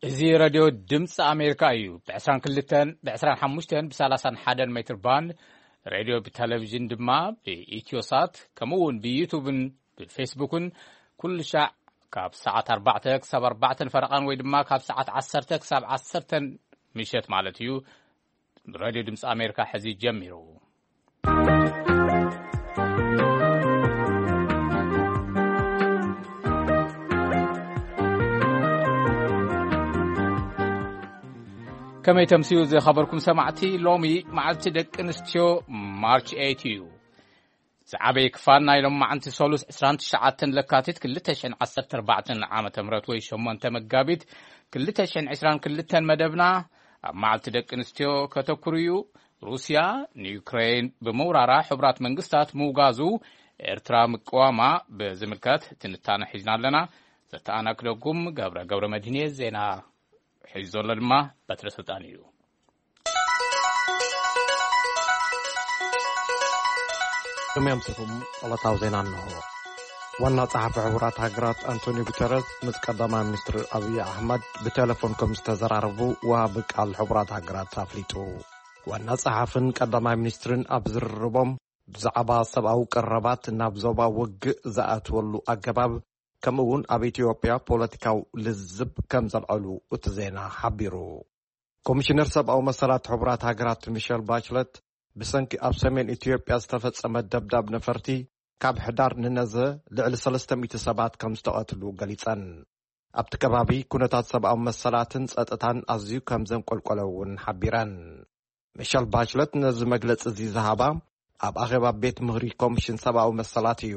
እዚ ሬድዮ ድምፂ ኣሜሪካ እዩ። ብ22፣ ብ25፣ ብ31 ሜትር ባንድ ሬድዮ፣ ብቴሌቪዥን ድማ ብኢትዮሳት፣ ከምኡ እውን ብዩቱብን ብፌስቡክን ኩሉ ሻዕ ካብ ሰዓት ኣርባዕተ ክሳብ ኣርባዕተን ፈረቓን ወይ ድማ ካብ ሰዓት ዓሰርተ ክሳብ ዓሰርተን ምሸት ማለት እዩ። ሬድዮ ድምፂ ኣሜሪካ ሕዚ ጀሚሩ። ከመይ ተምስዩ ዝኸበርኩም ሰማዕቲ፣ ሎሚ መዓልቲ ደቂ ኣንስትዮ ማርች ኤይት እዩ። ዝዓበየ ክፋል ናይ ሎም መዓልቲ ሰሉስ ዕስራን ትሽዓተን ለካቲት ክልተ ሽሕን ዓሰርተ ኣርባዕተን ዓመተ ምህረት ወይ ሸሞንተ መጋቢት ክልተ ሽሕን ዕስራን ክልተን መደብና ኣብ መዓልቲ ደቂ ኣንስትዮ ከተኩሩ እዩ። ሩስያ ንዩክሬን ብምውራራ ሕቡራት መንግስታት ምውጋዙ፣ ኤርትራ ምቅዋማ ብዝምልከት ትንታነ ሒዝና ኣለና። ዘተኣናግደኩም ገብረ ገብረ መድህን እየ። ዜና ሒዙ ዘሎ ድማ በትረ ስልጣን እዩ። ቅድሚያ ምስኹም ዕለታዊ ዜና እንሆ። ዋና ጸሓፊ ሕቡራት ሃገራት ኣንቶኒዮ ጉተረስ ምስ ቀዳማይ ሚኒስትር ኣብይ ኣሕመድ ብቴሌፎን ከም ዝተዘራረቡ ወሃቢ ቃል ሕቡራት ሃገራት ኣፍሊጡ። ዋና ጸሓፍን ቀዳማይ ሚኒስትርን ኣብ ዝርርቦም ብዛዕባ ሰብኣዊ ቀረባት ናብ ዞባ ውግእ ዝኣትወሉ ኣገባብ፣ ከምኡ እውን ኣብ ኢትዮጵያ ፖለቲካዊ ልዝብ ከም ዘልዐሉ እቲ ዜና ሓቢሩ። ኮሚሽነር ሰብኣዊ መሰላት ሕቡራት ሃገራት ሚሸል ባችለት ብሰንኪ ኣብ ሰሜን ኢትዮጵያ ዝተፈጸመ ደብዳብ ነፈርቲ ካብ ሕዳር ንነዘ ልዕሊ ሰለስተ ሚእቲ ሰባት ከም ዝተቐትሉ ገሊጸን። ኣብቲ ከባቢ ኩነታት ሰብኣዊ መሰላትን ጸጥታን ኣዝዩ ከም ዘንቆልቆለ እውን ሓቢረን። ሚሸል ባችለት ነዚ መግለጺ እዚ ዝሃባ ኣብ ኣኼባ ቤት ምኽሪ ኮሚሽን ሰብኣዊ መሰላት እዩ።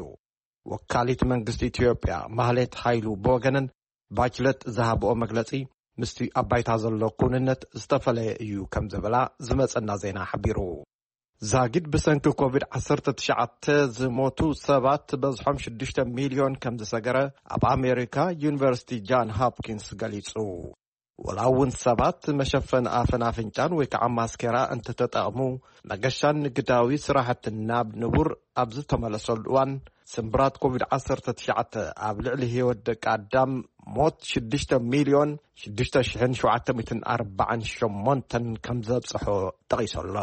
ወካሊት መንግስቲ ኢትዮጵያ ማህሌት ሃይሉ ብወገነን፣ ባችለት ዝሃብኦ መግለጺ ምስቲ ኣብ ባይታ ዘሎ ኩንነት ዝተፈለየ እዩ ከም ዝብላ ዝመጸና ዜና ሓቢሩ። ዛጊድ ብሰንኪ ኮቪድ ዓሰርተ ትሽዓተ ዝሞቱ ሰባት በዝሖም ሽዱሽተ ሚልዮን ከም ዝሰገረ ኣብ ኣሜሪካ ዩኒቨርሲቲ ጃን ሆፕኪንስ ገሊጹ። ወላ እውን ሰባት መሸፈኒ ኣፍን ኣፍንጫን ወይ ከዓ ማስኬራ እንተተጠቕሙ፣ መገሻን ንግዳዊ ስራሕትን ናብ ንቡር ኣብ ዝተመለሰሉ እዋን፣ ስምብራት ኮቪድ ዓሰርተ ትሽዓተ ኣብ ልዕሊ ህይወት ደቂ ኣዳም ሞት ሽዱሽተ ሚልዮን ሽዱሽተ ሽሕን ሸውዓተ ሚእትን ኣርባዓን ሸሞንተን ከም ዘብጽሖ ጠቒሱ ኣሎ።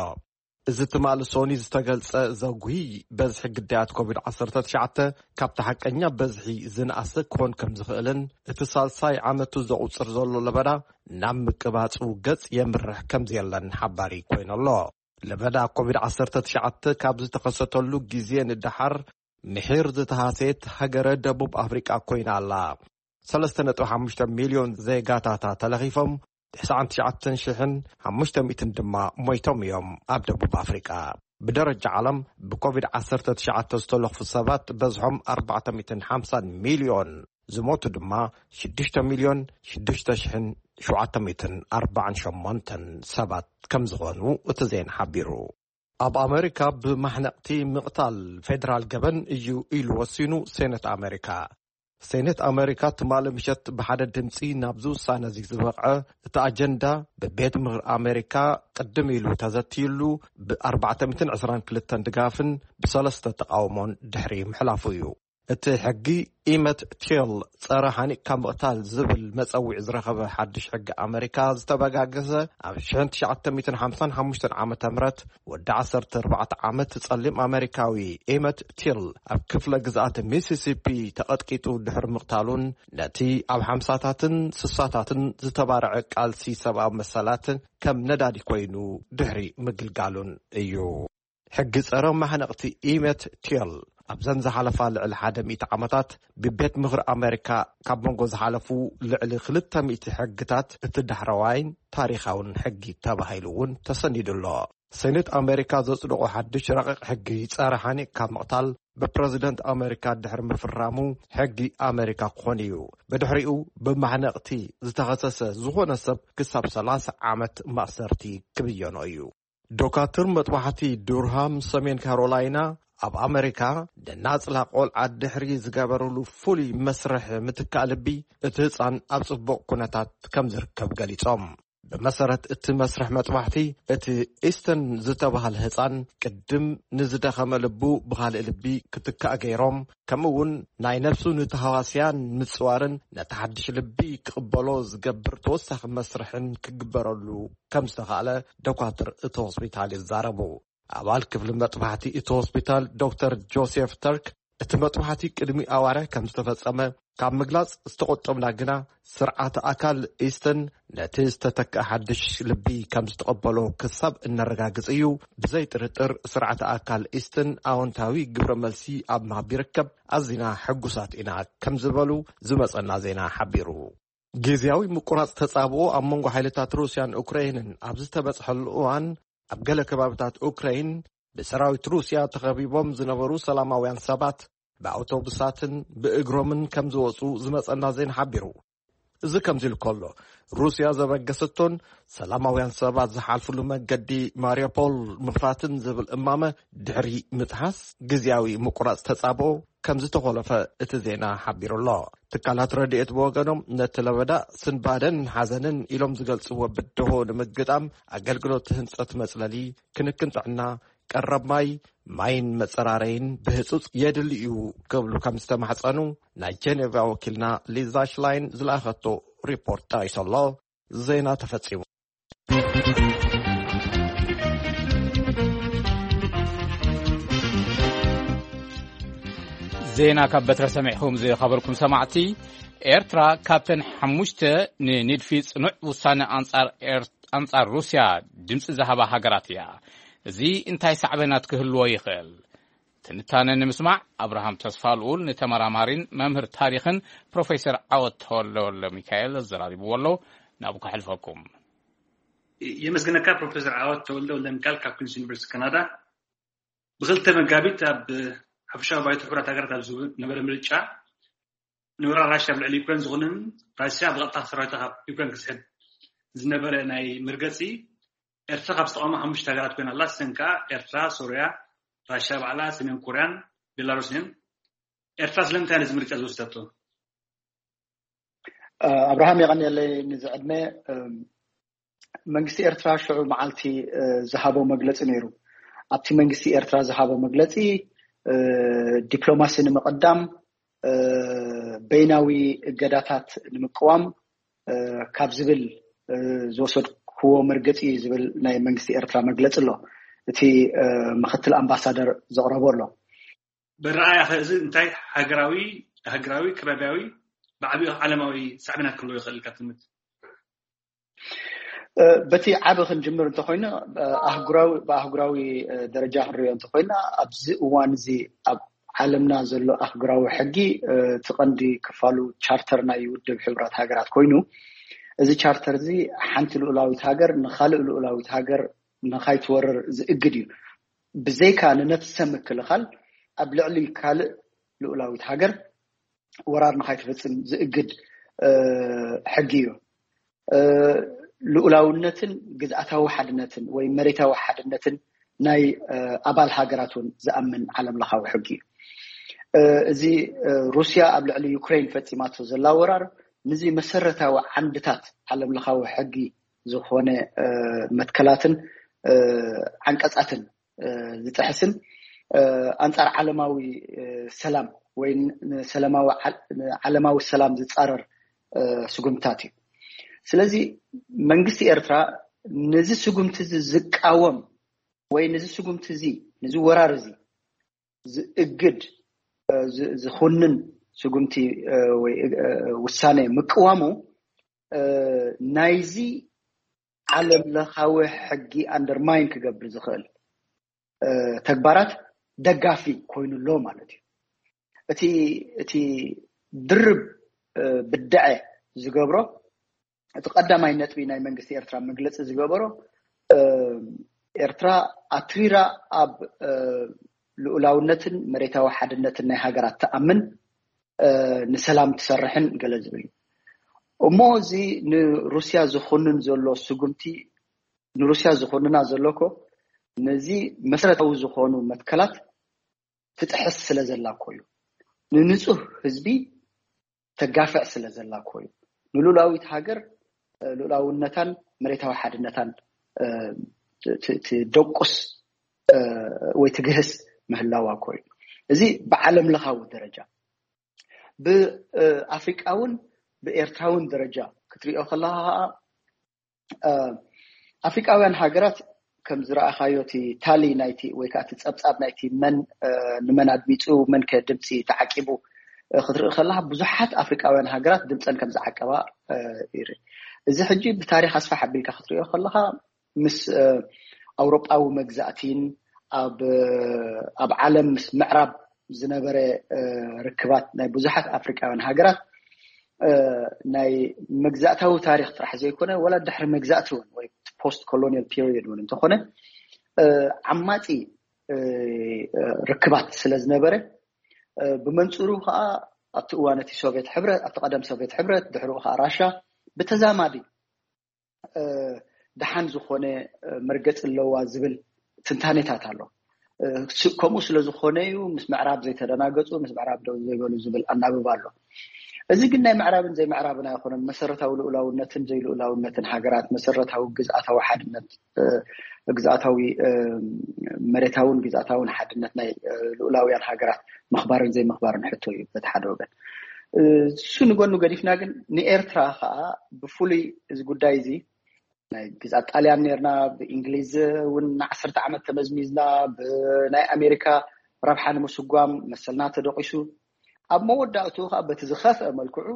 እዚ ትማሊ ሶኒ ዝተገልጸ ዘጉሂ በዝሒ ግዳያት ኮቪድ ዓሰርተ ትሽዓተ ካብቲ ሓቀኛ በዝሒ ዝነኣሰ ክኾን ከም ዝኽእልን፣ እቲ ሳልሳይ ዓመቱ ዘቑጽር ዘሎ ለበዳ ናብ ምቅባጹ ገጽ የምርሕ ከም ዘየለን ሓባሪ ኮይኑ ኣሎ። ለበዳ ኮቪድ ዓሰርተ ትሽዓተ ካብ ዝተኸሰተሉ ግዜ ንደሓር ምሒር ዝተሃሰየት ሃገረ ደቡብ ኣፍሪቃ ኮይና ኣላ። ሰለስተ ነጥቢ ሓሙሽተ ሚልዮን ዜጋታታ ተለኺፎም፣ ትስዓን ትሽዓተን ሽሕን ሓሙሽተ ሚእትን ድማ ሞይቶም እዮም። ኣብ ደቡብ ኣፍሪቃ ብደረጃ ዓለም ብኮቪድ ዓሰርተ ትሽዓተ ዝተለኽፉ ሰባት በዝሖም ኣርባዕተ ሚእትን ሓምሳን ሚልዮን፣ ዝሞቱ ድማ ሽዱሽተ ሚልዮን ሽዱሽተ ሽሕን ሸውዓተ ሚእትን ኣርባዓን ሸሞንተን ሰባት ከም ዝኾኑ እቲ ዜና ሓቢሩ። ኣብ ኣሜሪካ ብማሕነቕቲ ምቕታል ፌደራል ገበን እዩ ኢሉ ወሲኑ ሴኔት ኣሜሪካ። ሴኔት ኣሜሪካ ትማሊ ምሸት ብሓደ ድምፂ ናብዚ ውሳነ እዚ ዝበቕዐ፣ እቲ ኣጀንዳ ብቤት ምኽሪ ኣሜሪካ ቅድም ኢሉ ተዘትይሉ፣ ብ ኣርባዕተ ሚእትን ዕስራን ክልተን ድጋፍን ብሰለስተ ተቓውሞን ድሕሪ ምሕላፉ እዩ። እቲ ሕጊ ኢመት ቲል፣ ጸረ ሓኒቕካ ምቕታል ዝብል መጸዊዒ ዝረኸበ ሓድሽ ሕጊ ኣመሪካ፣ ዝተበጋገሰ ኣብ ሽሕን ትሽዓተ ሚእትን ሓምሳን ሓሙሽተን ዓመተ ምህረት ወዲ ዓሰርተ ኣርባዕተ ዓመት ጸሊም ኣመሪካዊ ኢመት ቲል ኣብ ክፍለ ግዝኣት ሚሲሲፒ ተቐጥቂጡ ድሕሪ ምቕታሉን ነቲ ኣብ ሓምሳታትን ስሳታትን ዝተባርዐ ቃልሲ ሰብኣዊ መሰላት ከም ነዳዲ ኮይኑ ድሕሪ ምግልጋሉን እዩ። ሕጊ ጸረ ማሕነቕቲ ኢመት ቲል ኣብዘን ዝሓለፋ ልዕሊ ሓደ ሚእቲ ዓመታት ብቤት ምኽሪ ኣሜሪካ ካብ መንጎ ዝሓለፉ ልዕሊ ክልተ ሚእቲ ሕግታት እቲ ዳሕረዋይን ታሪኻውን ሕጊ ተባሂሉ እውን ተሰኒዱ ኣሎ። ሴኔት ኣሜሪካ ዘጽደቖ ሓድሽ ረቂቕ ሕጊ ጸረ ሓኒቕካ ምቕታል ብፕረዚደንት ኣሜሪካ ድሕሪ ምፍራሙ ሕጊ ኣሜሪካ ክኾን እዩ። ብድሕሪኡ ብማሕነቕቲ ዝተኸሰሰ ዝኾነ ሰብ ክሳብ ሰላሳ ዓመት ማእሰርቲ ክብየኖ እዩ። ዶካትር መጥባሕቲ ዱርሃም ሰሜን ካሮላይና ኣብ ኣሜሪካ ደናጽላ ቆልዓ ድሕሪ ዝገበርሉ ፍሉይ መስርሕ ምትካእ ልቢ እቲ ህጻን ኣብ ጽቡቕ ኩነታት ከም ዝርከብ ገሊጾም። ብመሰረት እቲ መስርሕ መጥባሕቲ፣ እቲ ኢስተን ዝተባህለ ህጻን ቅድም ንዝደኸመ ልቡ ብኻልእ ልቢ ክትካእ ገይሮም፣ ከምኡ እውን ናይ ነብሱ ንተሃዋስያን ምጽዋርን ነቲ ሓድሽ ልቢ ክቕበሎ ዝገብር ተወሳኺ መስርሕን ክግበረሉ ከም ዝተኻእለ ዶኳትር እቲ ሆስፒታል ይዛረቡ። ኣባል ክፍሊ መጥባሕቲ እቲ ሆስፒታል ዶክተር ጆሴፍ ተርክ፣ እቲ መጥባሕቲ ቅድሚ ኣዋርሕ ከም ዝተፈጸመ ካብ ምግላጽ ዝተቖጠብና ግና፣ ስርዓተ ኣካል ኢስተን ነቲ ዝተተክአ ሓድሽ ልቢ ከም ዝተቐበሎ ክሳብ እነረጋግጽ እዩ። ብዘይ ጥርጥር ስርዓተ ኣካል ኢስተን ኣወንታዊ ግብረ መልሲ ኣብ ምሃብ ይርከብ። ኣዚና ሕጉሳት ኢና ከም ዝበሉ ዝመጸና ዜና ሓቢሩ። ግዝያዊ ምቁራጽ ተጻብኦ ኣብ መንጎ ሓይልታት ሩስያን ኡክራይንን ኣብ ዝተበጽሐሉ እዋን፣ ኣብ ገለ ከባቢታት ኡክራይን ብሰራዊት ሩስያ ተኸቢቦም ዝነበሩ ሰላማውያን ሰባት ብኣውቶቡሳትን ብእግሮምን ከም ዝወጹ ዝመጸና ዜና ሓቢሩ። እዚ ከምዚ ኢሉ ከሎ፣ ሩስያ ዘበገሰቶን ሰላማውያን ሰባት ዝሓልፍሉ መገዲ ማሪዮፖል ምኽፋትን ዝብል እማመ ድሕሪ ምጥሓስ፣ ግዝያዊ ምቁራጽ ተጻብኦ ከም ዝተኾለፈ እቲ ዜና ሓቢሩ ኣሎ። ትካላት ረድኤት ብወገኖም፣ ነቲ ለበዳ ስንባደን ሓዘንን ኢሎም ዝገልጽዎ ብድሆ ንምግጣም፣ ኣገልግሎት ህንጸት መጽለሊ፣ ክንክን ጥዕና፣ ቀረብ ማይ፣ ማይን መጸራረይን ብህጹጽ የድሊ እዩ ክብሉ ከም ዝተማሕጸኑ ናይ ጀኔቫ ወኪልና ሊዛ ሽላይን ዝለኣኸቶ ሪፖርት ጠቒሱ ኣሎ። ዜና ተፈጺሙ። ዜና ካብ በትረ ሰሚዕኹም ዝኸበርኩም ሰማዕቲ፣ ኤርትራ ካብተን ሓሙሽተ ንንድፊ ጽኑዕ ውሳነ ኣንጻር ኤር-፣ ኣንጻር ሩስያ ድምጺ ዝሃባ ሃገራት እያ። እዚ እንታይ ሳዕቤናት ክህልዎ ይኽእል? ትንታነ ንምስማዕ፣ ኣብርሃም ተስፋልኡል ንተመራማሪን መምህር ታሪኽን ፕሮፌሰር ዓወት ተወልደ ወልደ ሚካኤል ኣዘራሪብዎ ኣሎ። ናብኡ ከሕልፈኩም። የመስግነካ ፕሮፌሰር ዓወት ተወልደ ወልደ ሚካኤል ካብ ኩንስ ዩኒቨርሲቲ ካናዳ። ብ2 መጋቢት ኣብ ሓፈሻዊ ባይቶ ሕቡራት ሃገራት ኣብ ዝነበረ ምርጫ፣ ንወራር ራሽያ ኣብ ልዕሊ ዩክሬን ዝኹንን፣ ራሽያ ብቐጥታ ሰራዊታ ካብ ዩክሬን ክስሕብ ዝነበረ ናይ መርገጺ፣ ኤርትራ ካብ ዝተቓወማ ሓሙሽተ ሃገራት ኮይና ኣላ። እሰን ከኣ ኤርትራ፣ ሶርያ፣ ራሽያ ባዕላ፣ ሰሜን ኮርያን ቤላሩስን። ኤርትራ ስለምንታይ ነዚ ምርጫ ዝወሰደቶ? እ፣ ኣብርሃም፣ የቐንየለይ ንዚ ዕድመ። እም፣ መንግስቲ ኤርትራ ሽዑ መዓልቲ፣ እ፣ ዝሃቦ መግለጺ ነይሩ። ኣብቲ መንግስቲ ኤርትራ ዝሃቦ መግለጺ፣ እ፣ ዲፕሎማሲ ንምቕዳም፣ እ፣ በይናዊ እገዳታት ንምቅዋም፣ እ፣ ካብ ዝብል፣ እ፣ ዝወሰድክዎ መርገጺ እዩ ዝብል ናይ መንግስቲ ኤርትራ መግለጺ ኣሎ። እቲ፣ እ፣ ምክትል ኣምባሳደር ዘቕረቦ ኣሎ። ብረኣያኸ እዚ እንታይ ሃገራዊ፣ ሃገራዊ፣ ከባቢያዊ፣ ብዓቢኡ ዓለማዊ ሳዕቤናት ክህልዎ ይኽእል ኢልካ ትግምት? እ፣ በቲ ዓቢ ክንጅምር እንተኾይኑ፣ እ፣ ኣህጉራዊ፣ ብኣህጉራዊ፣ እ፣ ደረጃ ክንሪኦ እንተኾይና፣ ኣብዚ እዋን እዚ ኣብ ዓለምና ዘሎ ኣህጉራዊ ሕጊ፣ እ፣ እቲ ቀንዲ ክፋሉ ቻርተር ናይ ውድብ ሕቡራት ሃገራት ኮይኑ፣ እዚ ቻርተር እዚ ሓንቲ ልኡላዊት ሃገር ንኻልእ ልኡላዊት ሃገር ንኻይትወርር ዝእግድ እዩ። ብዘይካ ንነፍሰ ምክልኻል ኣብ ልዕሊ ካልእ ልኡላዊት ሃገር ወራር ንኻይትፍጽም ዝእግድ፣ እ፣ ሕጊ እዩ። እ፣ ልኡላውነትን ግዝኣታዊ ሓድነትን ወይ መሬታዊ ሓድነትን ናይ፣ እ፣ ኣባል ሃገራት እውን ዝኣምን ዓለም ለኻዊ ሕጊ እዩ። እ፣ እዚ፣ እ፣ ሩስያ ኣብ ልዕሊ ዩክሬን ፈጺማቶ ዘላ ወራር፣ ነዚ መሰረታዊ ዓንድታት ዓለም ለኻዊ ሕጊ ዝኾነ፣ እ፣ መትከላትን፣ እ፣ ዓንቀጻትን፣ እ፣ ዝጥሕስን፣ እ፣ ኣንጻር ዓለማዊ፣ እ፣ ሰላም ወይ ን-፣ ንሰላማዊ ዓ-፣ ንዓለማዊ ሰላም ዝጻረር፣ እ፣ ስጉምትታት እዩ። ስለዚ መንግስቲ ኤርትራ ነዚ ስጉምቲ እዚ ዝቃወም ወይ ነዚ ስጉምቲ እዚ፣ ነዚ ወራር እዚ ዝእግድ፣ እ፣ ዝ-፣ ዝኹንን ስጉምቲ፣ እ፣ ወይ፣ እ፣ ውሳኔ ምቅዋሙ፣ እ፣ ናይዚ ዓለም ለኻዊ ሕጊ ኣንደርማይን ክገብር ዝኽእል፣ እ፣ ተግባራት ደጋፊ ኮይኑ ኣሎ ማለት እዩ። እቲ፣ እቲ ድርብ፣ እ፣ ብድዐ ዝገብሮ፣ እቲ ቀዳማይ ነጥቢ ናይ መንግስቲ ኤርትራ መግለጺ ዝገበሮ፣ እ፣ ኤርትራ ኣትሪራ ኣብ፣ እ፣ ልኡላውነትን መሬታዊ ሓድነትን ናይ ሃገራት ትኣምን፣ እ፣ ንሰላም ትሰርሕን ገለ ዝብል እዩ። እሞ እዚ ንሩስያ ዝኹንን ዘሎ ስጉምቲ፣ ንሩስያ ዝኹንና ዘሎ እኮ ነዚ መሰረታዊ ዝኾኑ መትከላት ትጥሕስ ስለ ዘላ እኮ እዩ። ንንጹህ ህዝቢ ተጋፍዕ ስለ ዘላ እኮ እዩ። ንሉላዊት ሃገር ልኡላውነታን መሬታዊ ሓድነታን ትደቁስ ወይ ትግህስ ምህላዋ እኮ እዩ። እዚ ብዓለም ለኻዊ ደረጃ፣ ብኣፍሪቃውን ብኤርትራውን ደረጃ ክትሪኦ ከለካ ከዓ ኣፍሪቃውያን ሃገራት ከም ዝረኣኻዮ እቲ ታሊ ናይቲ ወይ ከዓ እቲ ፀብፃብ ናይቲ መን ንመን ኣድሚፁ፣ መን ከ ድምፂ ተዓቂቡ ክትርኢ ከለካ ብዙሓት ኣፍሪቃውያን ሃገራት ድምፀን ከም ዝዓቀባ ይርኢ። እዚ ሕጂ ብታሪክ ኣስፋሕ ኣቢልካ ክትሪኦ ከለካ ምስ ኣውሮጳዊ መግዛእቲን ኣብ ዓለም ምስ ምዕራብ ዝነበረ ርክባት ናይ ብዙሓት ኣፍሪቃውያን ሃገራት ናይ መግዛእታዊ ታሪክ ጥራሕ ዘይኮነ፣ ወላ ድሕሪ መግዛእቲ እውን ወይ ፖስት ኮሎኒያል ፔሪየድ እውን እንተኾነ ዓማፂ ርክባት ስለ ዝነበረ፣ ብመንፅሩ ከዓ ኣብቲ እዋን እቲ ሶቪየት ሕብረት፣ ኣብቲ ቀደም ሶቪየት ሕብረት፣ ድሕሪኡ ከዓ ራሻ ብተዛማዲ ደሓን ዝኾነ መርገፂ ኣለዋ ዝብል ትንታኔታት ኣሎ። ከምኡ ስለ ዝኾነ እዩ ምስ ምዕራብ ዘይተደናገፁ፣ ምስ ምዕራብ ደው ዘይበሉ ዝብል ኣናብባ ኣሎ። እዚ ግን ናይ ምዕራብን ዘይምዕራብን ኣይኮነን። መሰረታዊ ልኡላውነትን ዘይልኡላውነትን ሃገራት፣ መሰረታዊ ግዝኣታዊ ሓድነት፣ ግዝኣታዊ መሬታውን ግዝኣታውን ሓድነት ናይ ልኡላውያን ሃገራት ምኽባርን ዘይምኽባርን ሕቶ እዩ በቲ ሓደ ወገን። እሱ ንጎኑ ገዲፍና ግን ንኤርትራ ከዓ ብፍሉይ እዚ ጉዳይ እዚ ናይ ግዝኣት ጣልያን ነርና፣ ብእንግሊዝ እውን ንዓሰርተ ዓመት ተመዝሚዝና፣ ብናይ ኣሜሪካ ረብሓ ንምስጓም መሰልና ተደቂሱ፣ ኣብ መወዳእትኡ ከዓ በቲ ዝኸፍአ መልክዑ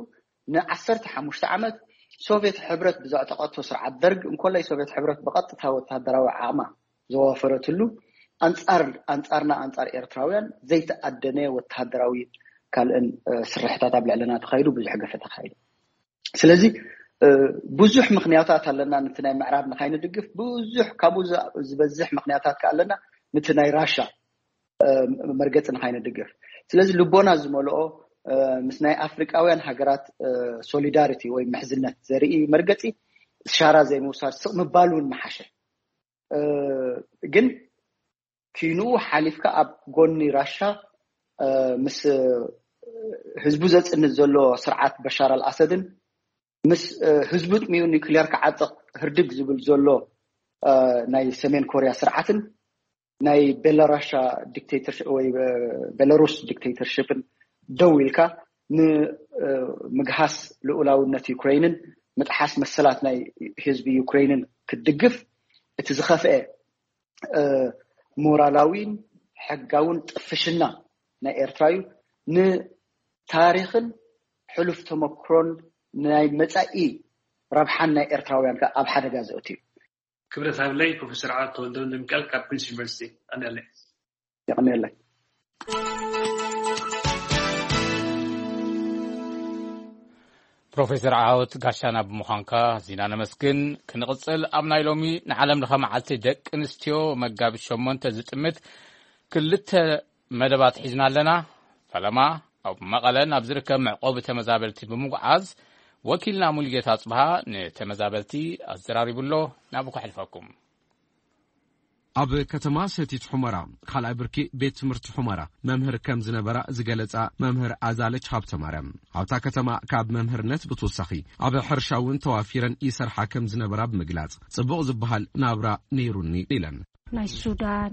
ንዓሰርተ ሓሙሽተ ዓመት ሶቪየት ሕብረት ብዘዕጠቐቶ ስርዓት ደርግ እንኮላይ ሶቪየት ሕብረት ብቐጥታ ወታደራዊ ዓቕማ ዘዋፈረትሉ፣ ኣንፃር ኣንፃርና ኣንፃር ኤርትራውያን ዘይተኣደነ ወታደራዊ ካልእን ስርሕታት ኣብ ልዕለና ተኻይዱ፣ ብዙሕ ገፈ ተኻይዱ። ስለዚ ብዙሕ ምክንያታት ኣለና ነቲ ናይ ምዕራብ ንካይንድግፍ፣ ብዙሕ ካብኡ ዝበዝሕ ምክንያታት ከ ኣለና ነቲ ናይ ራሻ መርገፂ ንካይንድግፍ። ስለዚ ልቦና ዝመልኦ ምስ ናይ ኣፍሪቃውያን ሃገራት ሶሊዳሪቲ ወይ ምሕዝነት ዘርኢ መርገፂ ሻራ ዘይምውሳድ ስቕ ምባል እውን ምሓሸ። ግን ኪንኡ ሓሊፍካ ኣብ ጎኒ ራሻ ምስ ህዝቡ ዘፅንት ዘሎ ስርዓት በሻር ኣልኣሰድን ምስ ህዝቡ ጥሚዩ ኒክሊየር ክዓጥቕ ህርድግ ዝብል ዘሎ ናይ ሰሜን ኮርያ ስርዓትን ናይ ቤላራሻ ዲክቴተርሽፕ ወይ ቤላሩስ ዲክቴተርሽፕን ደው ኢልካ ንምግሃስ ልኡላውነት ዩክሬይንን ምጥሓስ መሰላት ናይ ህዝቢ ዩክሬይንን ክትድግፍ እቲ ዝኸፍአ ሞራላዊን ሕጋውን ጥፍሽና ናይ ኤርትራ እዩ። ንታሪኽን ሕሉፍ ተመክሮን ናይ መጻኢ ረብሓን ናይ ኤርትራውያን ከኣ ኣብ ሓደጋ ዘእቱ እዩ። ክብረት ሃብለይ። ፕሮፌሰር ዓወት ተወልደ ወልደሚካኤል ካብ ኩንስ ዩኒቨርሲቲ። ኣነለይ። የቐንየለይ። ፕሮፌሰር ዓወት ጋሻና ብምዃንካ ዚና ነመስግን። ክንቕጽል ኣብ ናይ ሎሚ ንዓለም ለኸ መዓልቲ ደቂ ኣንስትዮ መጋቢት ሸሞንተ ዝጥምት ክልተ መደባት ሒዝና ኣለና። ፈለማ ኣብ መቐለ ናብ ዝርከብ መዕቆቢ ተመዛበልቲ ብምጉዓዝ ወኪልና ሙሉጌታ ኣጽብሃ ንተመዛበልቲ ኣዘራሪቡ ኣሎ። ናብኡ ከሕልፈኩም። ኣብ ከተማ ሰቲት ሑመራ ካልኣይ ብርኪ ቤት ትምህርቲ ሑመራ መምህር ከም ዝነበራ ዝገለጻ መምህር ኣዛለች ሃብተማርያም፣ ኣብታ ከተማ ካብ መምህርነት ብተወሳኺ ኣብ ሕርሻ እውን ተዋፊረን ይሰርሓ ከም ዝነበራ ብምግላጽ፣ ጽቡቕ ዝበሃል ናብራ ነይሩኒ ኢለን። ናይ ሱዳን፣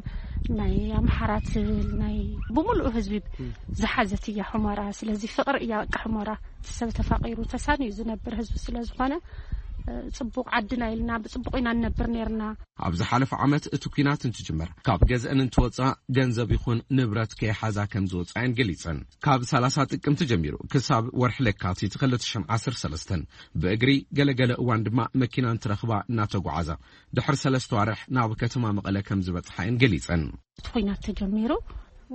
ናይ ኣምሓራ ትብል ናይ ብምሉኡ ህዝቢ ዝሓዘት እያ ሑመራ። ስለዚ ፍቕሪ እያ በቃ ሑመራ። እቲ ሰብ ተፋቒሩ ተሳንዩ ዝነብር ህዝቢ ስለ ዝኾነ ጽቡቕ ዓድና ኢልና ብጽቡቕ ኢና ንነብር ነርና። ኣብ ዝሓለፈ ዓመት እቲ ኲናት እንትጅመር ካብ ገዝአን እንትወጻ ገንዘብ ይኹን ንብረት ከይሓዛ ከም ዝወጻ እየን ገሊጸን። ካብ ሰላሳ ጥቅምቲ ጀሚሩ ክሳብ ወርሒ ለካቲት ክልተ ሽሕን ዓሰርተ ሰለስተን ብእግሪ፣ ገለገለ እዋን ድማ መኪና እንትረኽባ እናተጓዓዛ ድሕሪ ሰለስተ ዋርሕ ናብ ከተማ መቐለ ከም ዝበጽሓ እየን ገሊጸን። እቲ ኲናት ተጀሚሩ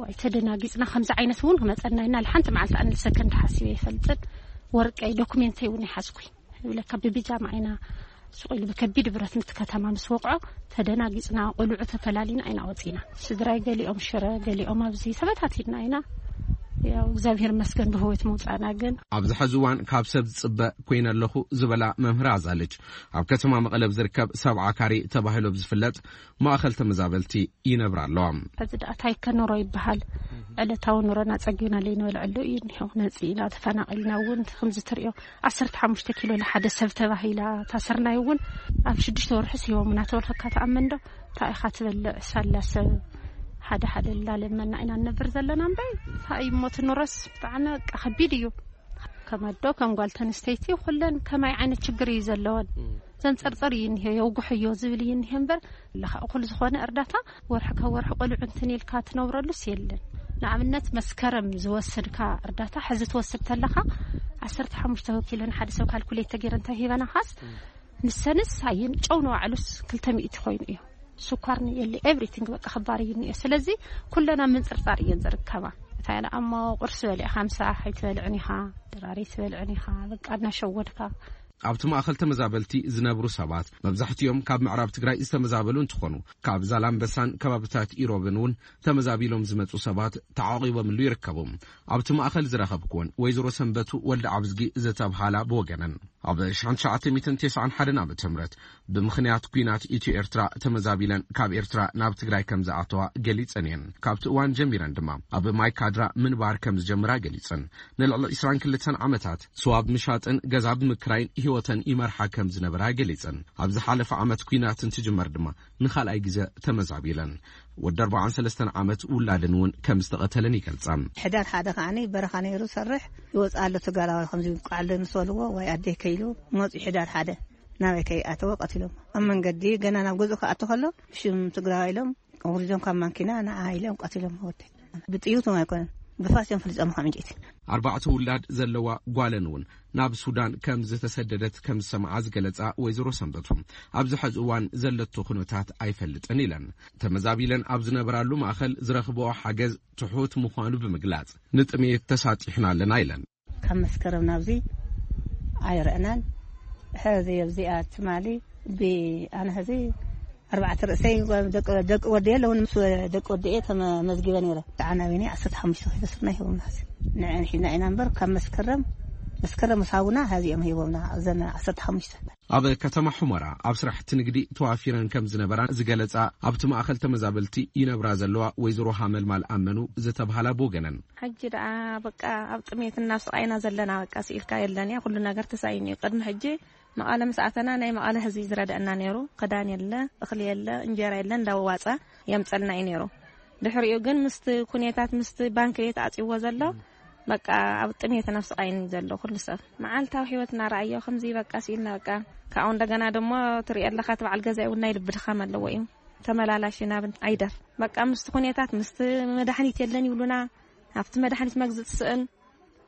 ዋይ ተደናጊጽና፣ ከምዚ ዓይነት እውን ክመጸና ኢና ኢልና ሓንቲ መዓልቲ ኣንድ ሰከንድ ሓሲበ ይፈልጥን። ወርቀይ ዶኩሜንተይ እውን ይሓዝኩይ ይብለካ። ብቢጃማ ኢና ሱቕ ኢሉ ብከቢድ ብረት ምት ከተማ ምስ ወቕዖ ተደናጊጽና፣ ቆልዑ ተፈላሊና ኢና ወጺና። ስድራይ ገሊኦም ሽረ፣ ገሊኦም ኣብዚ ተበታቲና ኢና። ያው እግዚኣብሔር ይመስገን ብህይወት ምውፃእና። ግን ኣብዚ ሕዚ እዋን ካብ ሰብ ዝፅበ ኮይነ ኣለኹ ዝበላ መምህር ኣዛልጅ፣ ኣብ ከተማ መቐለ ኣብ ዝርከብ ሰብዓ ካሬ ተባሂሉ ኣብ ዝፍለጥ ማእኸል ተመዛበልቲ ይነብራ ኣለዋ። ሕዚ ደኣ ታይ ከ ኑሮ ይበሃል? ዕለታዊ ኑሮና ጸጊብና ለይንበልዐሉ እዩ እኒሆ። መጺእና ተፈናቒልና እውን ከምዚ ትሪኦ ዓሰርተ ሓሙሽተ ኪሎ ንሓደ ሰብ ተባሂላ ታሰርናይ እውን ኣብ ሽዱሽተ ወርሒ ስሂቦም እናተበልኸካ ተኣመን ዶ? እንታይ ኢኻ ትበልዕ? ሳላ ሰብ ሓደ ሓደ እናለመና ኢና ንነብር ዘለና እምበይ። እንታይ እዩ እሞ እቲ ኑሮስ ብጣዕሚ በቃ ከቢድ እዩ። ከም ኣዶ ከም ጓል ተንስተይቲ ኩለን ከማይ ዓይነት ችግር እዩ ዘለወን። ዘንጸርጸር እዩ እኒሄ፣ የውግሖ እዮ ዝብል እዩ እኒሄ እምበር፣ ለኻ እኹል ዝኾነ እርዳታ ወርሒ ካብ ወርሒ ቆልዑ እንትን ኢልካ ትነብረሉስ የለን። ንኣብነት መስከረም ዝወሰድካ እርዳታ ሕዚ ትወስድ ተለኻ ዓሰርተ ሓሙሽተ ኪሎ ንሓደ ሰብ ካልኩሌት ተገይረ እንተ ሂበናኻስ፣ ንሰንስ ኣይን ጨው ንባዕሉስ ክልተ ሚእቲ ኮይኑ እዩ። ስኳር የለ፣ ኤቭሪቲንግ በቃ ክባር እዩ እኒኦ። ስለዚ ኩለና ምንጽርጻር እየን ዝርከባ። እንታይ ኢላ እሞ ቁርሲ በሊዕካ ምሳሕ ኣይትበልዕን ኢኻ፣ ድራር ኣይትበልዕን ኢኻ፣ በቃ እናሸወድካ። ኣብቲ ማእኸል ተመዛበልቲ ዝነብሩ ሰባት መብዛሕትኦም ካብ ምዕራብ ትግራይ ዝተመዛበሉ እንትኾኑ፣ ካብ ዛላምበሳን ከባብታት ኢሮብን እውን ተመዛቢሎም ዝመፁ ሰባት ተዓቂቦምሉ ይርከቡ። ኣብቲ ማእኸል ዝረኸብኩወን ወይዘሮ ሰንበቱ ወልደ ኣብዝጊ ዝተብሃላ ብወገነን፣ ኣብ ሸሕን ትሽዓተ ሚእትን ተስዓን ሓደን ዓመተ ምህረት ብምኽንያት ኲናት ኢትዮ ኤርትራ ተመዛቢለን ካብ ኤርትራ ናብ ትግራይ ከም ዝኣተዋ ገሊጸን እየን። ካብቲ እዋን ጀሚረን ድማ ኣብ ማይ ካድራ ምንባር ከም ዝጀምራ ገሊጸን። ንልዕሊ ዕስራን ክልተን ዓመታት ስዋ ብምሻጥን ገዛ ብምክራይን ህይወተን ይመርሓ ከም ዝነበራ ገሊጸን። ኣብ ዝሓለፈ ዓመት ኲናት እንትጅመር ድማ ንኻልኣይ ግዘ ተመዛቢለን። ወዲ ኣርባዓን ሰለስተን ዓመት ውላደን እውን ከም ዝተቐተለን ይገልጻ። ሕዳር ሓደ ከዓኒ በረኻ ነይሩ ሰርሕ፣ ይወፅእ ኣሎ ተጋላዋይ ከምዚ ይብቃዕ ኣሎ ምስ በልዎ፣ ወይ ኣደይ ከይሉ መፁ። ሕዳር ሓደ ናበይ ከይኣተወ ቀቲሎም ኣብ መንገዲ፣ ገና ናብ ገዝኡ ክኣቱ ከሎ ሽም ትግራዋይ ኢሎም ኣውሪዶም ካብ ማንኪና ንዓ ኢሎም ቀቲሎም ወደይ። ብጥይቶም ኣይኮነን፣ ብፋስ እዮም ፈሊፆም ካብ ዕንጨይቲ። ኣርባዕተ ውላድ ዘለዋ ጓለን እውን ናብ ሱዳን ከም ዝተሰደደት ከም ዝሰምዓ ዝገለጻ ወይዘሮ ሰንበቱ፣ ኣብዚ ሕዚ እዋን ዘለቶ ኩነታት ኣይፈልጥን ኢለን። ተመዛቢለን ኣብ ዝነበራሉ ማእኸል ዝረኽብኦ ሓገዝ ትሑት ምዃኑ ብምግላጽ፣ ንጥሜት ተሳጢሕና ኣለና ኢለን። ካብ መስከረም ናብዚ ኣይረእናን። ሕዚ ኣብዚኣ ትማሊ ብኣነ ሕዚ ኣርባዕተ ርእሰይ ደቂ፣ ደቂ ወደየ ኣለውን፣ ምስ ደቂ ወደየ ተመዝጊበ ነይረ። ተዓናቢኒ ዓሰርተ ሓሙሽተ ኪሎ ስርና ሂቦምና። ሕዚ ንዐን ሒዝና ኢና እምበር፣ ካብ መስከረም፣ መስከረም ምስ ሃቡና፣ ሕዚ እዮም ሂቦምና፣ እዘን ዓሰርተ ሓሙሽተ። ኣብ ከተማ ሑመራ ኣብ ስራሕቲ ንግዲ ተዋፊረን ከም ዝነበራ ዝገለጻ፣ ኣብቲ ማእኸል ተመዛበልቲ ይነብራ ዘለዋ ወይዘሮ ሃመልማል ኣመኑ ዝተብሃላ ብወገነን፣ ሕጂ ደኣ በቃ ኣብ ጥሜትና ኣብ ስቓይና ዘለና፣ በቃ ስኢልካ የለን እያ፣ ኩሉ ነገር ተሳኢኑ እዩ። ቅድሚ ሕጂ መቐለ ምስ ኣተና ናይ መቐለ ህዝቢ ዝረድአና ነይሩ። ክዳን የለ፣ እኽሊ የለ፣ እንጀራ የለ፣ እንዳዋፀ የምፀልና እዩ ነይሩ። ድሕሪኡ ግን ምስቲ ኩኔታት፣ ምስቲ ባንክ ተዓፂዎ ዘሎ፣ በቃ ኣብ ጥሜትን ኣብ ስቓይን እዩ ዘሎ ኩሉ ሰብ። መዓልታዊ ህይወትና ረኣዮ ከምዚ በቃ ስኢልና በቃ። ካብኡ እንደገና ደሞ ትሪኦ ኣለኻ፣ እቲ በዓል ገዛኢ እውን ናይ ልቢ ድኻም ኣለዎ እዩ። ተመላላሽ ናብ ኣይደር። በቃ ምስቲ ኩኔታት፣ ምስቲ መድሓኒት የለን ይብሉና። ኣብቲ መድሓኒት መግዝእ ትስእን።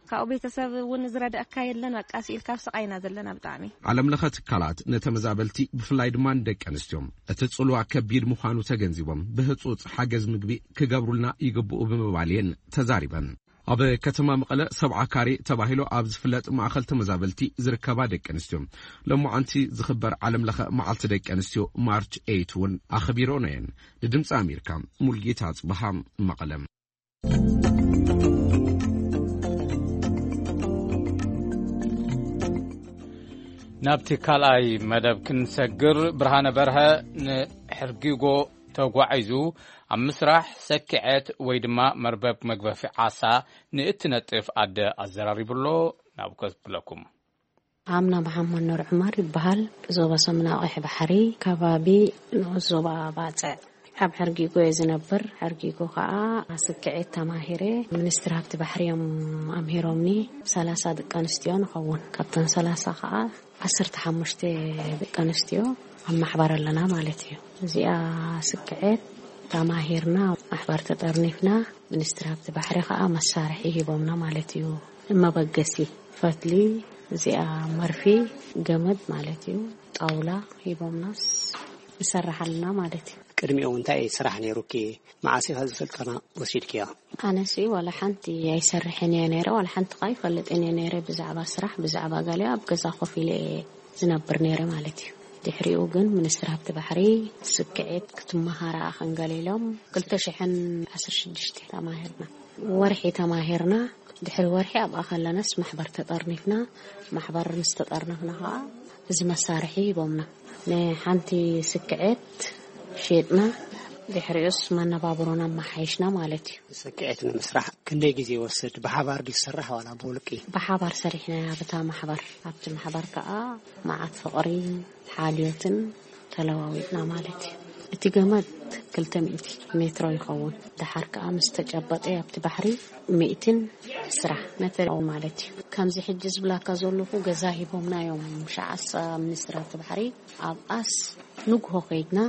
ካብኡ ቤተሰብ እውን ዝረድአካ የለን። በቃ ስኢልካ ኣብ ስቓይና ዘለና ብጣዕሚ። ዓለም ለኸ ትካላት ንተመዛበልቲ ብፍላይ ድማ ንደቂ ኣንስትዮ እቲ ጽልዋ ከቢድ ምዃኑ ተገንዚቦም ብህጹጽ ሓገዝ ምግቢ ክገብሩልና ይግብኡ ብምባል እየን ተዛሪበን። ኣብ ከተማ መቐለ ሰብዓ ካሬ ተባሂሉ ኣብ ዝፍለጥ ማእኸል ተመዛበልቲ ዝርከባ ደቂ ኣንስትዮ ሎማዓንቲ ዝኽበር ዓለም ለኸ መዓልቲ ደቂ ኣንስትዮ ማርች ኤይት እውን ኣኽቢረኦ እየን። ንድምፂ ኣሜሪካ ሙልጌታ ኣፅበሃ መቐለ። ናብቲ ካልኣይ መደብ ክንሰግር፣ ብርሃነ በርሀ ንሕርጊጎ ተጓዒዙ ኣብ ምስራሕ ሰኪዐት ወይ ድማ መርበብ መግበፊ ዓሳ ንእትነጥፍ ኣደ ኣዘራሪቡሎ። ናብ ከብለኩም። ኣምና መሓመድ ኑር ዑመር ይበሃል። ዞባ ሰምና ቀይሕ ባሕሪ፣ ከባቢ ንኡስ ዞባ ባጽዕ። ኣብ ሕርጊጎ እየ ዝነብር። ሕርጊጎ ከኣ ስክዒት ተማሂረ። ሚኒስትሪ ሃብቲ ባሕሪ እዮም ኣምሂሮምኒ። ሰላሳ ደቂ ኣንስትዮ ንኸውን። ካብተን ሰላሳ ከኣ ዓሰርተ ሓሙሽተ ደቂ ኣንስትዮ ኣብ ማሕበር ኣለና ማለት እዩ። እዚኣ ስክዒት ተማሂርና፣ ማሕበር ተጠርኒፍና፣ ሚኒስትሪ ሃብቲ ባሕሪ ከኣ መሳርሒ ሂቦምና ማለት እዩ። መበገሲ ፈትሊ፣ እዚኣ መርፊ፣ ገመድ ማለት እዩ፣ ጣውላ ሂቦምናስ ንሰርሕ ኣለና ማለት እዩ። ቅድሚኡ እንታይ ስራሕ ነይሩኪ? መዓስ ኢኻ እዚ ስልጠና ወሲድክዮ? ኣነሲ ዋላ ሓንቲ ኣይሰርሕን እየ ነይረ፣ ዋላ ሓንቲ ኸኣ ኣይፈልጥን እየ ነይረ ብዛዕባ ስራሕ፣ ብዛዕባ ገለ ኣብ ገዛ ኮፍ ኢለ እየ ዝነብር ነይረ ማለት እዩ። ድሕሪኡ ግን ሚኒስትሪ ሃብቲ ባሕሪ ስክዒት ክትመሃራ ክንገል ኢሎም ክልተ ሽሕን ዓሰርተ ሽዱሽተ ተማሂርና። ወርሒ ተማሂርና፣ ድሕሪ ወርሒ ኣብኣ ከለናስ ማሕበር ተጠርኒፍና። ማሕበር ምስ ተጠርነፍና ከዓ እዚ መሳርሒ ሂቦምና። ንሓንቲ ስክዔት ሸጥና፣ ድሕሪኡስ መነባብሮና ኣመሓይሽና ማለት እዩ። ስክዔት ንምስራሕ ክንደይ ግዜ ይወስድ? ብሓባር ድዩ ዝስራሕ ዋላ ብውልቂ? ብሓባር ሰሪሕና። ብታ ማሕበር፣ ኣብቲ ማሕበር ከዓ መዓት ፍቕሪ፣ ሓልዮትን ተለዋዊጥና ማለት እዩ። እቲ ገመድ ክልተ ሚእቲ ሜትሮ ይኸውን። ደሓር ከዓ ምስ ተጨበጠ ኣብቲ ባሕሪ ሚእትን ዕስራ ሜትር ማለት እዩ። ከምዚ ሕጂ ዝብላካ ዘለኹ ገዛ ሂቦምና እዮም። ሸዓሳ ሚኒስትራት ባሕሪ ኣብኣስ ንግሆ ከይድና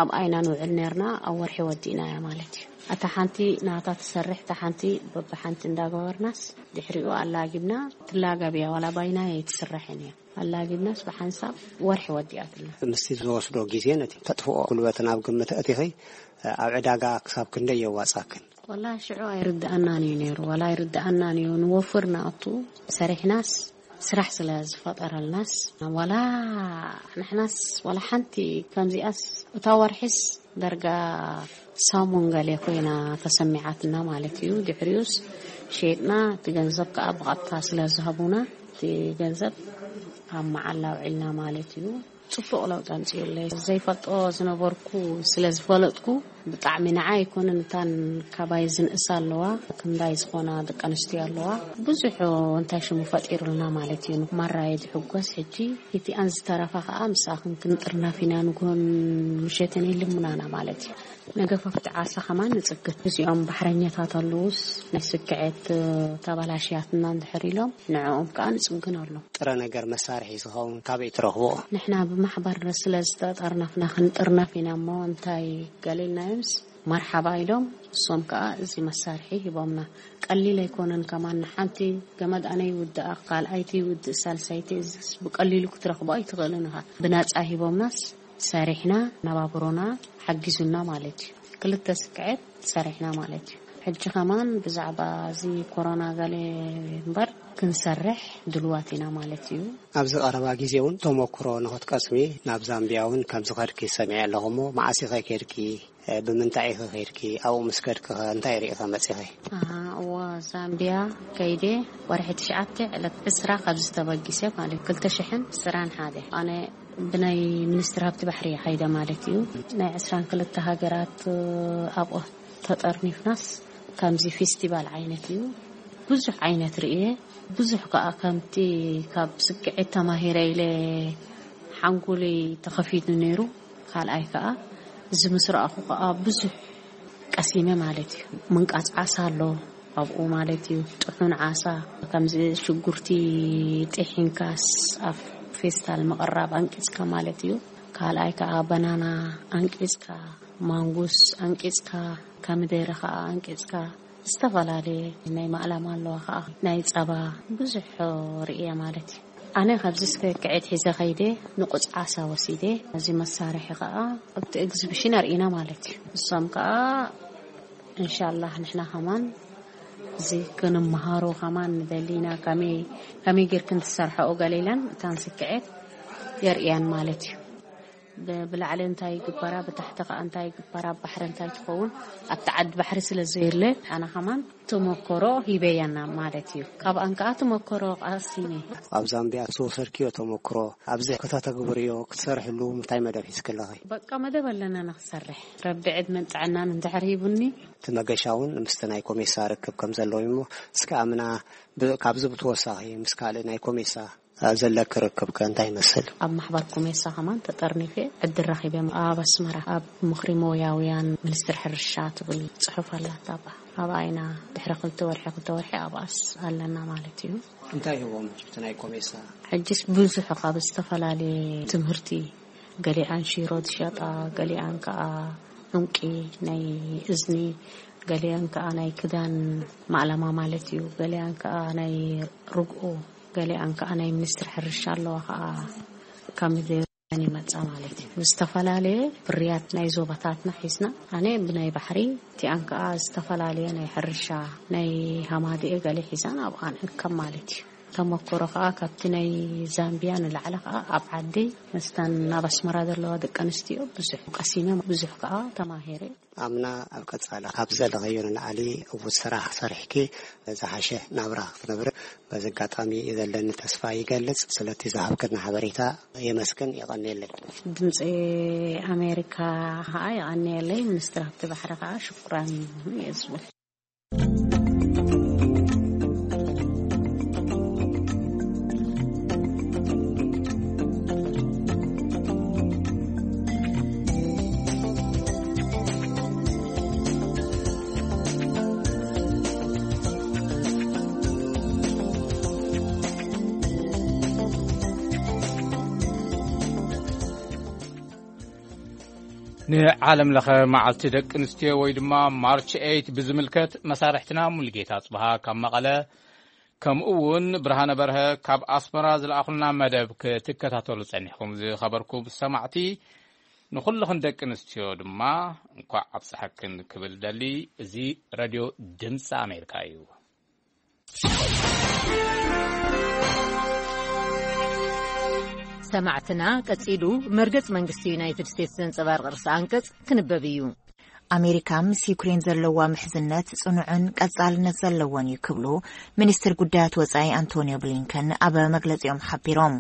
ኣብ ኣይና ንውዕል ነርና። ኣብ ወርሒ ወዲእናያ ማለት እዩ። እታ ሓንቲ ናታ ትሰርሕ፣ እታ ሓንቲ በብሓንቲ እንዳገበርናስ ድሕሪኡ ኣላጊብና። ትላጋብያ ዋላ ባይና ኣይትስራሕን እያ። ኣላጊብናስ ብሓንሳብ ወርሒ ወዲኣትና። ምስቲ ዝወስዶ ግዜ ነቲ ተጥፍኦ ጉልበት ናብ ግምት ኣእቲኺ ኣብ ዕዳጋ ክሳብ ክንደይ የዋጻክን? ወላ ሽዑ ኣይርድኣናን እዩ ነይሩ፣ ዋላ ኣይርድኣናን እዩ። ንወፍር ንኣቱ ሰሪሕናስ ስራሕ ስለ ዝፈጠረልናስ፣ ዋላ ንሕናስ ዋላ ሓንቲ ከምዚኣስ እታ ወርሒስ ደርጋ ሳሙን ገሌ ኮይና ተሰሚዓትና ማለት እዩ። ድሕሪኡስ ሸይጥና፣ እቲ ገንዘብ ከዓ ብቐጥታ ስለ ዝሃቡና፣ እቲ ገንዘብ ኣብ መዓላ ኣውዒልና ማለት እዩ። ጽቡቕ ለውጢ ኣምጺኡለይ። ዘይፈልጦ ዝነበርኩ ስለ ዝፈለጥኩ፣ ብጣዕሚ ንዓይ ኣይኮነን፣ እታን ካባይ ዝንእሳ ኣለዋ፣ ክንዳይ ዝኾና ደቂ ኣንስትዮ ኣለዋ። ብዙሕ እንታይ ሽሙ ፈጢሩልና ማለት እዩ። ማራ እየ ዝሕጎስ። ሕጂ እቲኣን ዝተረፋ ከዓ ምሳኽን ክንጥርነፍ ኢና፣ ንግሆን ምሸትን ይልምናና ማለት እዩ። ነገፋፍቲ ዓሳ ከማን ንጽግን። እዚኦም ባሕረኛታት ኣለዉስ፣ ናይ ስክዔት ተበላሽያትና እንድሕር ኢሎም፣ ንዕኦም ከዓ ንጽግን ኣሎ። ጥረ ነገር መሳርሒ ዝኸውን ካበይ ትረኽብኦ? ንሕና ብማሕበር ስለ ዝተጠርነፍና ክንጥርነፍ ኢና እሞ፣ እንታይ ገሊልናዮምስ፣ መርሓባ ኢሎም፣ እሶም ከዓ እዚ መሳርሒ ሂቦምና። ቀሊል ኣይኮነን ከማን፣ ንሓንቲ ገመድ ኣነ ይውድኣ፣ ካልኣይቲ ይውድእ፣ ሳልሳይቲ፣ እዚስ ብቀሊሉ ክትረኽቦ ኣይትኽእልን ኢኻ። ብናጻ ሂቦምናስ፣ ሰሪሕና ነባብሮና ሓጊዙና ማለት እዩ። ክልተ ስክዔት ሰሪሕና ማለት እዩ። ሕጂ ከማን ብዛዕባ እዚ ኮሮና ገለ እምበር ክንሰርሕ ድልዋት ኢና ማለት እዩ። ኣብዚ ቀረባ ግዜ እውን ተመክሮ ንኽትቀስሚ ናብ ዛምቢያ እውን ከም ዝኸድኪ ሰሚዐ ኣለኹ እሞ፣ መዓስ ኢኸ ከድኪ? እ፣ ብምንታይ ኢኸ ከድኪ? ኣብኡ ምስ ከድኪ ኸ እንታይ ርኢኸ መጺኺ? ኣሃ፣ እወ፣ ዛምቢያ ከይደ ወርሒ ትሽዓተ ዕለት ዕስራ ካብዚ ተበጊሰ ማለት ክልተ ሽሕን ዕስራን ሓደ። ኣነ ብናይ ሚኒስትሪ ሃብቲ ባሕሪ እየ ኸይደ ማለት እዩ። ናይ ዕስራን ክልተ ሃገራት፣ እ፣ ኣብኡ ተጠርኒፍናስ ከምዚ ፌስቲቫል ዓይነት እዩ። ብዙሕ ዓይነት ርእየ። ብዙሕ ከኣ ከምቲ ካብ ስክዔት ተማሂረ ኢለ ሓንጎለይ ተኸፊቱ ነይሩ። ካልኣይ ከኣ እዚ ምስ ረኣኹ ከኣ ብዙሕ ቀሲመ ማለት እዩ። ምንቃጽ ዓሳ ኣሎ ኣብኡ ማለት እዩ። ጥሑን ዓሳ ከምዚ ሽጉርቲ ጢሒንካስ ኣብ ፌስታል ምቕራብ ኣንቂጽካ ማለት እዩ። ካልኣይ ከኣ በናና ኣንቂጽካ፣ ማንጉስ ኣንቂጽካ፣ ከሚደረ ከኣ ኣንቂጽካ፣ ዝተፈላለየ ናይ ማእላማ ኣለዋ ከኣ ናይ ጸባ ብዙሕ ርእየ ማለት እዩ። ኣነ ካብዚ ስክዔት ሒዘ ከይደ ንቁጽ ዓሳ ወሲደ፣ እዚ መሳርሒ ከኣ ኣብቲ ኤግዚቢሽን ኣርእና ማለት እዩ። እሶም ከኣ እንሻላህ ንሕና ከማን እዚ ክንመሃሮ ከማን ንደሊ ኢና። ከመይ፣ ከመይ ጌርክን ትሰርሐኦ ገለ ኢለን እታን ስክዔት የርእያን ማለት እዩ። ብ-፣ ብላዕሊ እንታይ ይግበራ፣ ብታሕቲ ከኣ እንታይ ይግበራ፣ ኣብ ባሕሪ እንታይ ትኸውን፣ ኣብቲ ዓዲ ባሕሪ ስለ ዘየለ፣ ኣነ ከማን ተመክሮ ሂበያና ማለት እዩ። ካብኣን ከኣ ተመክሮ ቀሲመ። ኣብ ዛምቢያ ዝወሰድክዮ ተመክሮ፣ ኣብዚ ከተተግብርዮ፣ ክትሰርሕሉ እንታይ መደብ ሒዝኪ ኣለኺ? በቃ መደብ ኣለና ንኽሰርሕ። ረቢ ዕድመን ጥዕናን እንድሕር ሂቡኒ። እቲ መገሻ እውን ምስቲ ናይ ኮሜሳ ርክብ ከም ዘለዎ እዩ እሞ፣ እስከ ኣምና ብ-፣ ካብዚ ብተወሳኺ ምስ ካልእ ናይ ኮሜሳ ዘለኪ ርክብ ከ እንታይ ይመስል? ኣብ ማሕበር ኮሜሳ ከማን ተጠርኒፈ ዕድል ረኺበ። ኣብ ኣስመራ ኣብ ምኽሪ ሞያውያን ሚኒስትሪ ሕርሻ ትብል ጽሑፍ ኣላታ። ኣብኣ፣ ኣብኣ ኢና ድሕሪ ክልተ ወርሒ፣ ክልተ ወርሒ ኣብኣስ ኣለና ማለት እዩ። እንታይ ይህቦም እቲ ናይ ኮሜሳ? ሕጅስ ብዙሕ ካብ ዝተፈላለየ ትምህርቲ፣ ገሊኣን ሽሮ ዝሸጣ፣ ገሊኣን ከኣ ዑንቂ ናይ እዝኒ፣ ገሊኣን ከኣ ናይ ክዳን ማእለማ ማለት እዩ፣ ገሊኣን ከኣ ናይ ርግኦ፣ ገሊኣን ከኣ ናይ ሚኒስትሪ ሕርሻ ኣለዋ ከኣ ካብ ምድሪ ይመጻ ማለት እዩ። ዝተፈላለየ ፍርያት ናይ ዞባታትና ሒዝና፣ ኣነ ብናይ ባሕሪ፣ እቲኣን ከኣ ዝተፈላለየ ናይ ሕርሻ፣ ናይ ሃማድኤ ገለ ሒዛን ኣብኣ ንእከብ ማለት እዩ። ተመክሮ ከዓ ካብቲ ናይ ዛምቢያ ንላዕሊ ከዓ ኣብ ዓዲ ምስታን ኣብ ኣስመራ ዘለዋ ደቂ ኣንስትዮ ብዙሕ ቀሲመ፣ ብዙሕ ከዓ ተማሂረ። ኣምና ኣብ ቀጻሊ ካብ ዘለኸዮ ንላዕሊ ዕዉት ስራሕ ሰሪሕኪ ዝሓሸ ናብራ ክትነብሪ በዚ ኣጋጣሚ ዘለኒ ተስፋ ይገልጽ። ስለቲ ዝሃብክና ሓበሬታ የመስግን፣ የቐንየለይ። ድምፂ ኣሜሪካ ከዓ የቐንየለይ። ሚኒስትሪ ሃብቲ ባሕሪ ከዓ ሽኩራን እየ ዝብል። ንዓለም ለኸ መዓልቲ ደቂ ኣንስትዮ ወይ ድማ ማርች ኤይት ብዝምልከት መሳርሕትና ሙሉጌታ ጽብሃ ካብ መቐለ፣ ከምኡ እውን ብርሃነ በርሀ ካብ ኣስመራ ዝለኣኹልና መደብ ክትከታተሉ ጸኒሕኩም ዝኸበርኩም ሰማዕቲ፣ ንኹልኽን ደቂ ኣንስትዮ ድማ እንኳዕ ኣብፀሐክን ክብል ደሊ። እዚ ሬድዮ ድምፂ ኣሜሪካ እዩ። ሰማዕትና፣ ቀጺሉ መርገጽ መንግስቲ ዩናይትድ ስቴትስ ዘንጸባርቕ ርእሰ ኣንቀጽ ክንበብ እዩ። ኣሜሪካ ምስ ዩክሬን ዘለዋ ምሕዝነት ጽኑዕን ቀጻልነት ዘለዎን እዩ ክብሉ ሚኒስትር ጉዳያት ወጻኢ ኣንቶኒዮ ብሊንከን ኣብ መግለጺኦም ሓቢሮም።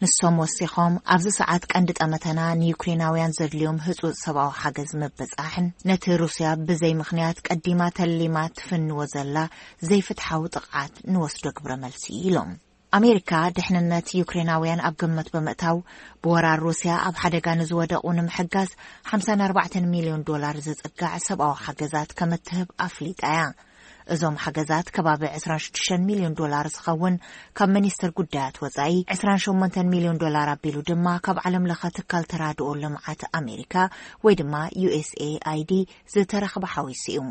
ንሶም ወሲኾም፣ ኣብዚ ሰዓት ቀንዲ ጠመተና ንዩክሬናውያን ዘድልዮም ህጹጽ ሰብኣዊ ሓገዝ ምብጻሕን ነቲ ሩስያ ብዘይ ምኽንያት ቀዲማ ተሊማ ትፍንዎ ዘላ ዘይፍትሓዊ ጥቕዓት ንወስዶ ግብረ መልሲ ኢሎም። ኣሜሪካ ድሕንነት ዩክሬናውያን ኣብ ግምት ብምእታው፣ ብወራር ሩስያ ኣብ ሓደጋ ንዝወደቑ ንምሕጋዝ ሓምሳን ኣርባዕተን ሚልዮን ዶላር ዝጽጋዕ ሰብኣዊ ሓገዛት ከም እትህብ ኣፍሊጣ እያ። እዞም ሓገዛት ከባቢ ዕስራን ሽዱሽተን ሚልዮን ዶላር ዝኸውን፣ ካብ ሚኒስትር ጉዳያት ወጻኢ ዕስራን ሸሞንተን ሚልዮን ዶላር ኣቢሉ ድማ ካብ ዓለም ለኸ ትካል ተራድኦ ልምዓት ኣሜሪካ ወይ ድማ ዩ ኤስ ኤ ኣይ ዲ ዝተረኽበ ሓዊሱ እዩ።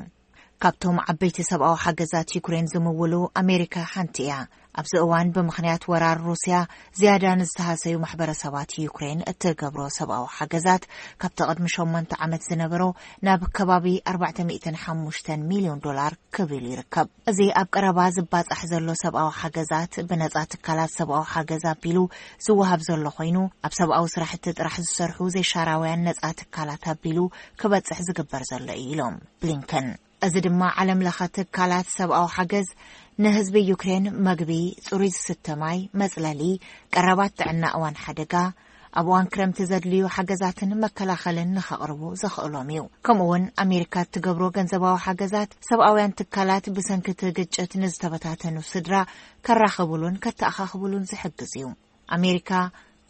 ካብቶም ዓበይቲ ሰብኣዊ ሓገዛት ዩክሬን ዝምውሉ ኣሜሪካ ሓንቲ እያ። ኣብዚ እዋን ብምኽንያት ወራር ሩስያ ዝያዳ ንዝተሃሰዩ ማሕበረሰባት ዩክሬን እትገብሮ ሰብኣዊ ሓገዛት ካብቲ ቅድሚ ሸሞንተ ዓመት ዝነበሮ ናብ ከባቢ ኣርባዕተ ሚእትን ሓሙሽተን ሚልዮን ዶላር ክብል ይርከብ። እዚ ኣብ ቀረባ ዝባጻሕ ዘሎ ሰብኣዊ ሓገዛት ብነጻ ትካላት ሰብኣዊ ሓገዝ ኣቢሉ ዝወሃብ ዘሎ ኮይኑ፣ ኣብ ሰብኣዊ ስራሕቲ ጥራሕ ዝሰርሑ ዘይሻራውያን ነጻ ትካላት ኣቢሉ ክበጽሕ ዝግበር ዘሎ እዩ ኢሎም ብሊንከን። እዚ ድማ ዓለም ለኸ ትካላት ሰብኣዊ ሓገዝ ንህዝቢ ዩክሬን መግቢ፣ ጽሩይ ዝስተ ማይ፣ መጽለሊ፣ ቀረባት ጥዕና እዋን ሓደጋ፣ ኣብ እዋን ክረምቲ ዘድልዩ ሓገዛትን መከላኸልን ንኸቕርቡ ዘኽእሎም እዩ። ከምኡ እውን ኣሜሪካ እትገብሮ ገንዘባዊ ሓገዛት ሰብኣውያን ትካላት ብሰንኪ እቲ ግጭት ንዝተበታተኑ ስድራ ከራኽቡሉን ከተኣኻኽቡሉን ዝሕግዝ እዩ። ኣሜሪካ፣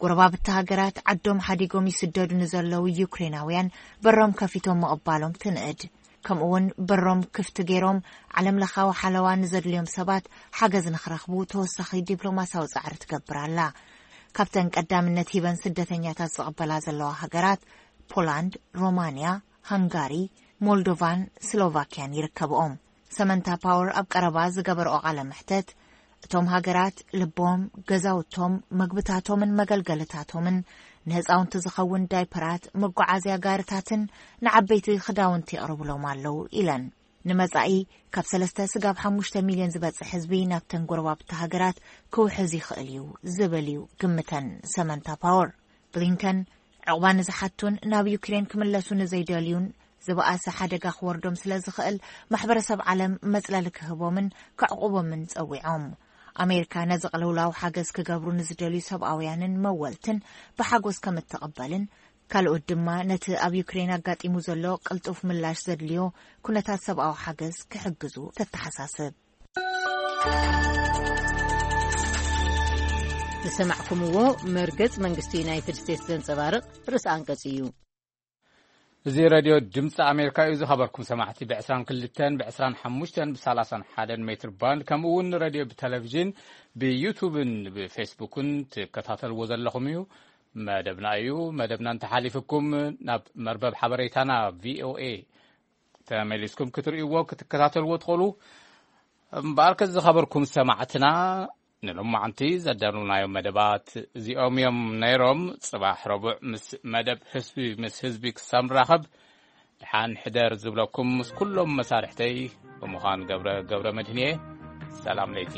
ጎረባብቲ ሃገራት ዓዶም ሓዲጎም ይስደዱ ንዘለዉ ዩክሬናውያን በሮም ከፊቶም ምቕባሎም ትንእድ። ከምኡውን በሮም ክፍቲ ገይሮም ዓለም ለኻዊ ሓለዋ ንዘድልዮም ሰባት ሓገዝ ንኽረኽቡ ተወሳኺ ዲፕሎማሲያዊ ጻዕሪ ትገብር ኣላ። ካብተን ቀዳምነት ሂበን ስደተኛታት ዝቕበላ ዘለዋ ሃገራት ፖላንድ፣ ሮማንያ፣ ሃንጋሪ፣ ሞልዶቫን ስሎቫክያን ይርከብኦም። ሰመንታ ፓወር ኣብ ቀረባ ዝገበርኦ ቃለ መሕተት፣ እቶም ሃገራት ልቦም፣ ገዛውቶም፣ መግብታቶምን መገልገልታቶምን፣ ንህፃውንቲ ዝኸውን ዳይፐራት፣ መጓዓዝያ ጋርታትን ንዓበይቲ ክዳውንቲ የቕርብሎም ኣለዉ ኢለን። ንመጻኢ ካብ ሰለስተ ስጋብ ሓሙሽተ ሚልዮን ዝበጽሕ ህዝቢ ናብተን ጎረባብቲ ሃገራት ክውሕዝ ይኽእል እዩ ዝብል እዩ ግምተን ሰመንታ ፓወር። ብሊንከን፣ ዕቑባ ንዝሓቱን ናብ ዩክሬን ክምለሱ ንዘይደልዩን ዝበኣሰ ሓደጋ ክወርዶም ስለ ዝኽእል፣ ማሕበረሰብ ዓለም መጽለሊ ክህቦምን ከዕቑቦምን ጸዊዖም። ኣሜሪካ ነዚ ቅልውላው ሓገዝ ክገብሩ ንዝደልዩ ሰብኣውያንን መወልትን ብሓጎስ ከም እትቕበልን፣ ካልኦት ድማ ነቲ ኣብ ዩክሬን ኣጋጢሙ ዘሎ ቅልጡፍ ምላሽ ዘድልዮ ኩነታት ሰብኣዊ ሓገዝ ክሕግዙ ተተሓሳስብ። ዝሰማዕኩምዎ መርገጽ መንግስቲ ዩናይትድ ስቴትስ ዘንጸባርቕ ርእሲ ኣንቀጽ እዩ። እዚ ሬድዮ ድምፂ ኣሜሪካ እዩ። ዝኸበርኩም ሰማዕቲ፣ ብ22፣ ብ25፣ ብ31 ሜትር ባንድ፣ ከምኡ እውን ሬድዮ ብቴሌቪዥን ብዩቱብን ብፌስቡክን ትከታተልዎ ዘለኹም እዩ። መደብና እዩ። መደብና እንተሓሊፍኩም ናብ መርበብ ሓበሬታና ቪኦኤ ተመሊስኩም ክትርእይዎ ክትከታተልዎ ትኽእሉ። እምበኣርከ ዝኸበርኩም ሰማዕትና፣ ንሎማዓንቲ ዘዳለውናዮም መደባት እዚኦም እዮም ነይሮም። ጽባሕ ረቡዕ ምስ መደብ ህዝቢ ምስ ህዝቢ ክሳብ ንራኸብ፣ ደሓን ሕደር ዝብለኩም ምስ ኩሎም መሳርሕተይ ብምዃን ገብረ፣ ገብረ መድህን እየ። ሰላም ለይቲ።